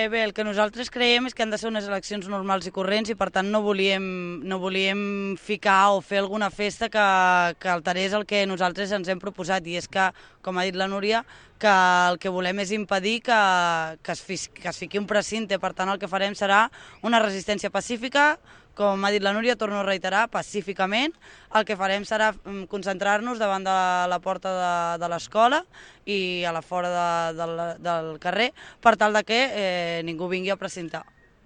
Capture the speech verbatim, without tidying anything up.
Eh, bé, el que nosaltres creiem és que han de ser unes eleccions normals i corrents i per tant no volíem, no volíem ficar o fer alguna festa que, que alterés el que nosaltres ens hem proposat i és que, com ha dit la Núria, que el que volem és impedir que, que, es, fi, que es fiqui un precinte, per tant el que farem serà una resistència pacífica, com ha dit la Núria, torno a reiterar, pacíficament. El que farem serà concentrar-nos davant de la porta de, de l'escola i a la fora de, de, del carrer per tal de que eh, ningú vingui a precintar.